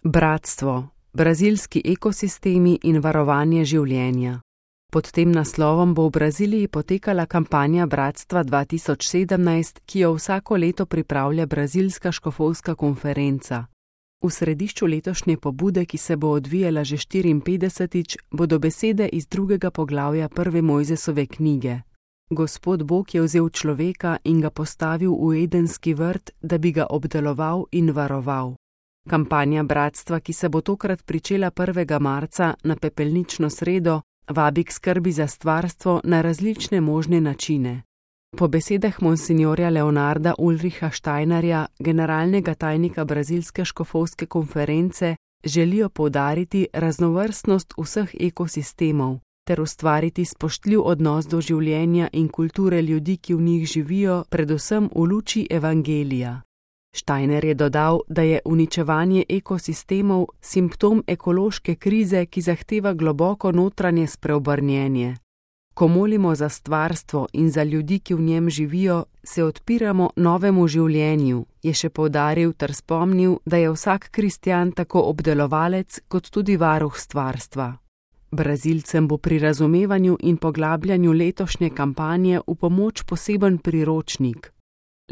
Bratstvo, brazilski ekosistemi in varovanje življenja. Pod tem naslovom bo v Braziliji potekala kampanja Bratstva 2017, ki jo vsako leto pripravlja Brazilska škofovska konferenca. V središču letošnje pobude, ki se bo odvijala že 54-tič, bodo besede iz 2. poglavja prve Mojzesove knjige. Gospod Bog je vzel človeka in ga postavil v Edenski vrt, da bi ga obdeloval in varoval. Kampanja Bratstva, ki se bo tokrat pričela 1. marca na pepelnično sredo, vabi k skrbi za stvarstvo na različne možne načine. Po besedah monsinjorja Leonarda Ulricha Steinerja, generalnega tajnika Brazilske škofovske konference, želijo poudariti raznovrstnost vseh ekosistemov ter ustvariti spoštljiv odnos do življenja in kulture ljudi, ki v njih živijo, predvsem v luči evangelija. Steiner je dodal, da je uničevanje ekosistemov simptom ekološke krize, ki zahteva globoko notranje spreobrnjenje. Ko molimo za stvarstvo in za ljudi, ki v njem živijo, se odpiramo novemu življenju, je še poudaril ter spomnil, da je vsak kristjan tako obdelovalec kot tudi varuh stvarstva. Brazilcem bo pri razumevanju in poglabljanju letošnje kampanje v pomoč poseben priročnik.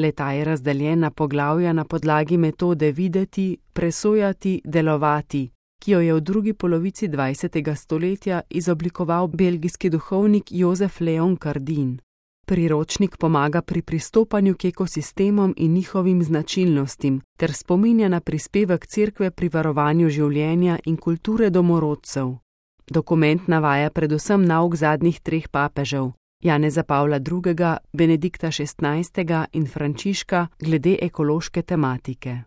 Le-ta je razdeljen na poglavja na podlagi metode videti, presojati, delovati, ki jo je v drugi polovici 20. stoletja izoblikoval belgijski duhovnik Jozef Leon Cardin. Priročnik pomaga pri pristopanju k ekosistemom in njihovim značilnostim ter spominja na prispevek cerkve pri varovanju življenja in kulture domorodcev. Dokument navaja predvsem nauk zadnjih 3 papežev, Janeza Pavla II., Benedikta XVI. In Frančiška glede ekološke tematike.